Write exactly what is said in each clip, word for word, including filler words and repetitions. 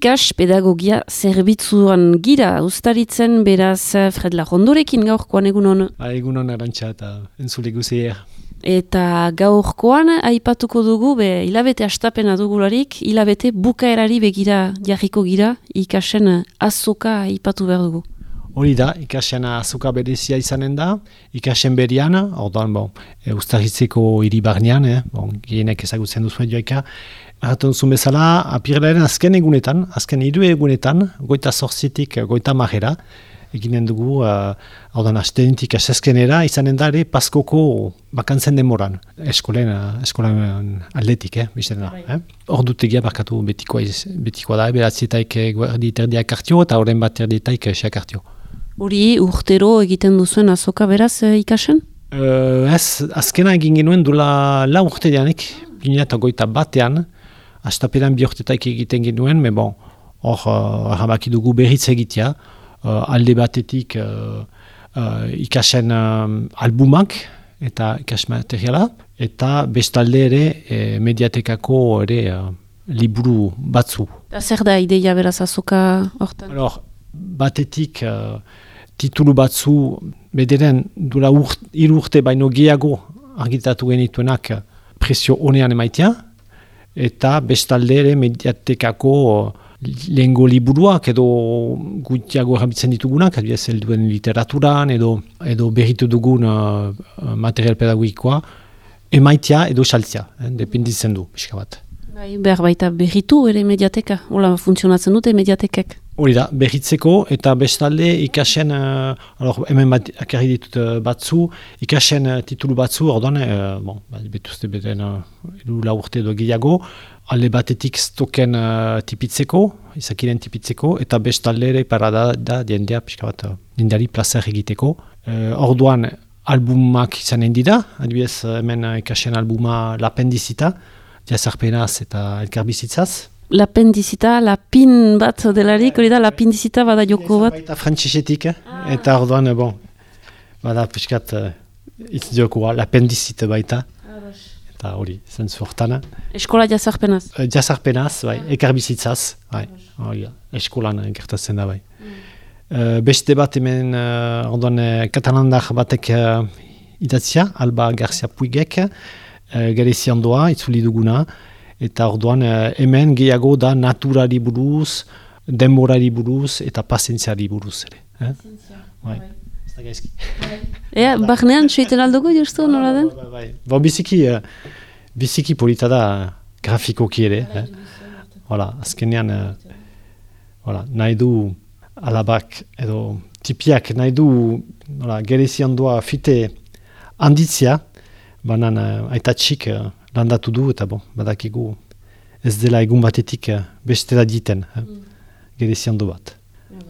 Ikas pedagogia zerbitzuan gira, ustaritzen beraz Fred Lajondorekin gaurkoan egun hon. Egun hon Arantxa eta entzule guzier. Eta gaurkoan aipatuko dugu, be hilabete astapena dugularik, hilabete bukaerari begira jarriko gira, ikasen azoka aipatu behar dugu. Hori da, ikasen azoka berezia izanen da, ikasen berian, orduan, bon, e, ustaritzeko hiri barnean, eh, bon, gehienek ezagutzen duzuen joaika, Arraten zuen bezala, apirelaren azken egunetan, azken hiru egunetan, goita zortzitik goita marrera, eginen dugu, uh, hau da, astenetik asezkenera, izanen da ere, paskoko bakantzen demoran, eskolen, uh, eskolen atletik, eh, biztena. Eh? Ordutegia barkatu betikoa, iz, betikoa da, beratzitaik guardi terdiak hartio, eta horren bat terdietaik seak hartio. Hori urtero egiten duzuen azoka beraz ikasen? Uh, ez, azkena egin genuen dula la urte dianik, ginen eta goita batean, Astaperan bi urtetaik egiten genuen, me bon, hor uh, arrabaki dugu berriz egitea, uh, alde batetik uh, uh, ikasen um, albumak eta ikas materiala, eta bestalde ere eh, mediatekako ere uh, liburu batzu. Da zer da ideia beraz azoka hortan? Alors, batetik uh, titulu batzu bederen dula urt, hiru urte baino gehiago argitatu genituenak presio honean emaitea, eta bestalde ere mediatekako lehengo liburuak edo gutiago erabiltzen ditugunak, adibidez helduen literaturan edo edo berritu dugun uh, material pedagogikoa, emaitea edo saltzea, eh, dependitzen du, pixka bat. Bai, behar baita berritu ere mediateka, hola funtzionatzen dute mediatekek. Hori da, berritzeko eta bestalde ikasen, uh, alor, hemen bat akarri ditut uh, batzu, ikasen uh, titulu batzu, orduan, uh, bon, betuzte beten uh, edu la urte edo gehiago, alde batetik stoken uh, tipitzeko, izakiren tipitzeko, eta bestalde ere parada da diendea, pixka bat, uh, diendeari plazer egiteko. Uh, orduan, albumak izanen dira, adibidez hemen uh, ikasen albuma Lapendizita, jazarpenaz eta elkarbizitzaz. Lapendizita, lapin bat delarik, hori da, lapindizita bada joko bat. Eta frantzisetik, eh? ah. Eta orduan, bon, bada piskat uh, itz jokoa, lapendizita baita. Ados. Eta hori, zentzu hortan. Eskola jazarpenaz? Uh, jazarpenaz, bai, ah. Ekarbizitzaz, bai, hori, eskolan gertatzen da, bai. Mm. Uh, beste bat hemen, uh, orduan, uh, katalandar batek uh, idatzia, Alba Garcia Puigek, uh, Garezian doa, itzuli duguna, eta orduan hemen gehiago da naturari buruz, denborari buruz eta pazientziari buruz ere. Eh? Pazientzia, bai. Ez da gaizki. Ea, barnean txeiten aldugu justu, nola den? Bai, bai. Bo, biziki, uh, biziki polita da grafikoki ere. Eh? Hola, azkenean, uh, hola, nahi du alabak edo tipiak nahi du nola, gerezian doa fite handitzia, banan uh, aitatxik uh, landatu du, eta bon, badakigu ez dela egun batetik beste da diten, eh? mm. Gerezian du bat.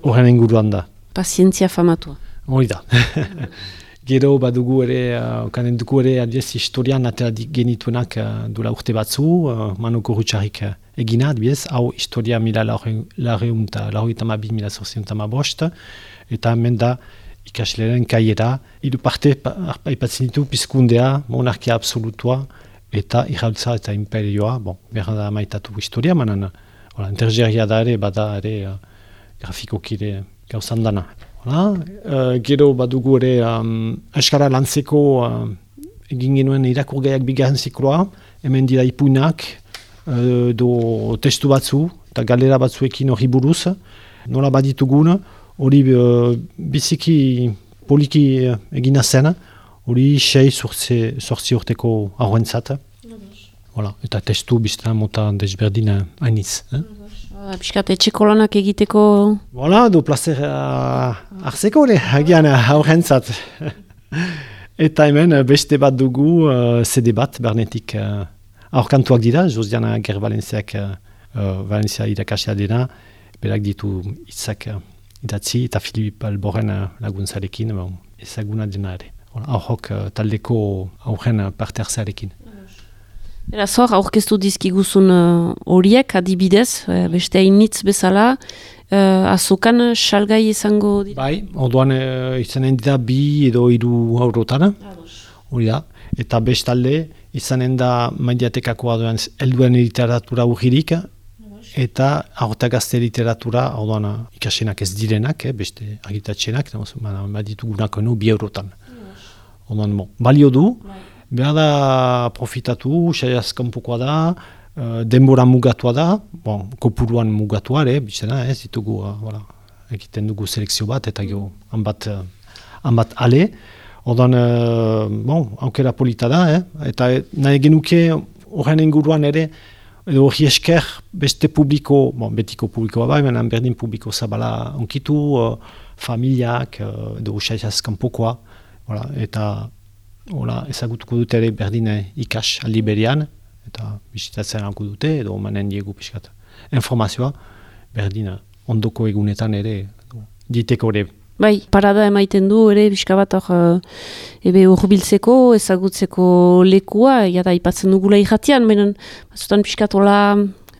Horren inguruan da. Pazientzia famatua. Hori da. Gero badugu ere, uh, kanen dugu ere, adibidez, historian atera genituenak uh, dula urte batzu, uh, Manuko Rutsarik uh, egina, adibidez, hau historia mila laureun eta laureun bi mila zortzion eta bost, eta hemen da ikasleren kaiera, hiru parte aipatzen ditu pizkundea, monarkia absolutua, eta irrautza eta imperioa, bon, behar da maitatu historia, manan, hola, intergeria da ere, bada ere, uh, grafikoki ere gauzan dana. Hola, uh, gero badugu ere, um, Euskara lantzeko uh, egin genuen irakurgaiak bigarren zikloa, hemen dira ipuinak, uh, do testu batzu, eta galera batzuekin hori buruz, nola baditugun, hori uh, biziki poliki uh, egina zen, hori sei sortzi urteko aurrentzat. Voilà. Eta testu biztan mota desberdina hainiz. Eh? Piskat etxeko lanak egiteko... Voilà, du plazer uh, arzeko ere, hagian aurrentzat. Eta hemen beste bat dugu uh, C D bat, bernetik uh, aurkantuak dira, Josiana Ger Valenciak uh, Valencia irakasia dena, berak ditu hitzak uh, idatzi, eta Filip Alboren uh, laguntzarekin, bon, ezaguna dena ere. Aurrok uh, taldeko aurren uh, parte hartzearekin. Era zor, aurkeztu dizkiguzun horiek uh, adibidez, uh, beste hainitz bezala, uh, azokan salgai izango dira? Bai, orduan uh, izanen dira bi edo hiru eurotara, hori da, eta bestalde izanen da mediatekakoa duen helduen literatura urririk, eta aurta gazte literatura, orduan ikasenak ez direnak, eh, beste agitatxenak, baditugunak enu bi eurotan. Orduan, bon, balio du, behar da profitatu, saiaz kanpokoa da, uh, denbora mugatua da, bon, kopuruan mugatua, ere, bizena, ez ditugu, uh, voilà, egiten dugu selekzio bat, eta gero, hanbat, uh, hanbat ale, orduan, uh, bon, aukera polita da, eh, eta nahi genuke horren inguruan ere, edo hori esker beste publiko, bon, betiko publikoa bai, menan berdin publiko zabala onkitu, uh, familiak, uh, edo saiaz kanpokoa, voilà, eta hola, ezagutuko dute ere berdin ikas aldi berean, eta bisitatzen alko dute, edo manen diegu pixkat informazioa, berdin ondoko egunetan ere, diteko ere. Bai, parada emaiten du ere pixka bat hor ebe urbiltzeko, ezagutzeko lekua, jada ipatzen dugula irratian, benen batzutan pixkat hola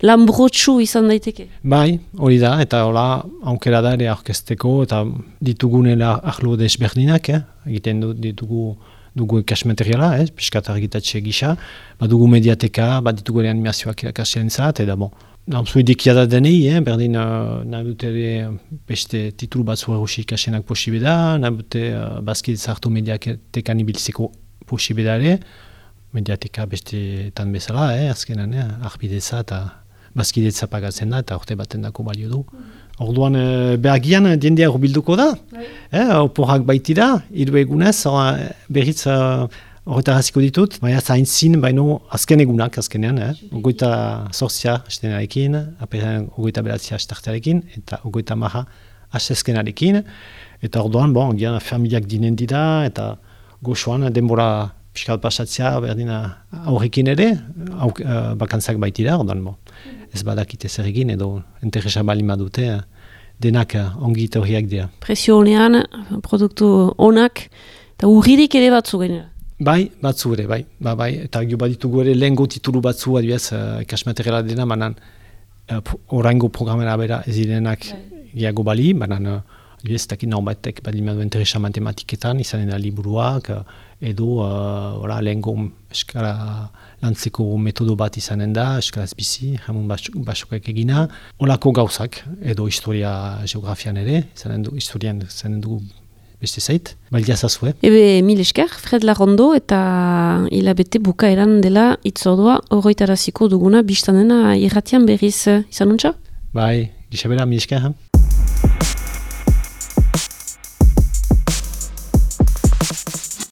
lanbrotsu izan daiteke. Bai, hori da, eta hola aukera da ere aurkezteko, eta ditugunela ahlo desberdinak, eh? Egiten du, ditugu dugu ikas materiala, eh? Piskat argitatxe gisa, bat dugu mediateka, bat ditugu ere animazioak irakasien zat, eta bon, nahuzu idikia da denei, eh? Berdin uh, nahi dute ere beste titulu batzu erusi ikasenak posibe da, nahi dute uh, bazkidetza hartu mediatekan ibiltzeko posibe da ere, mediateka besteetan bezala, eh? Azkenan, eh? Arbidetza eta bazkidetza pagatzen da, eta orte baten dako balio du. Orduan, e, behagian diendia urbilduko da, eh, oporrak baitira, hiru egunez, berriz horretaraziko uh, ditut, baina zain zin, baino azken egunak, azkenean, eh, ogoita zorzia hastenarekin, aperan ogoita beratzia hastartarekin, eta ogoita maha hastezkenarekin, eta orduan, bon, gian familiak dinen dira, eta goxoan denbora piskal pasatzea berdina aurrekin ere, auk, uh, bakantzak baitira, orduan, bon. Ez badakite zer egin edo interesa bali madute denak ongi horiak dira. Presio honean, produktu onak, eta urririk ere batzu genera. Bai, batzu ere, bai. Ba, bai. Eta gio baditugu ere lehengo titulu batzu, adibidez, uh, ikasmateriala dena, banan uh, oraingo programera bera ez direnak gehiago bali, banan uh, adibidez, takit norbatek bali madu interesa matematiketan, izanen da liburuak, uh, edo uh, lehengo eskara lantzeko metodo bat izanen da, eskaraz bizi, jamun basokak egina, olako gauzak, edo historia geografian ere, izanen du, historian izanen du beste zait, baldia zazue. Ebe, mil esker, Fred Larrondo, eta hilabete bukaeran dela itzordua horretaraziko duguna, biztanena irratian berriz izanuntza? Bai, gixabera, mil esker,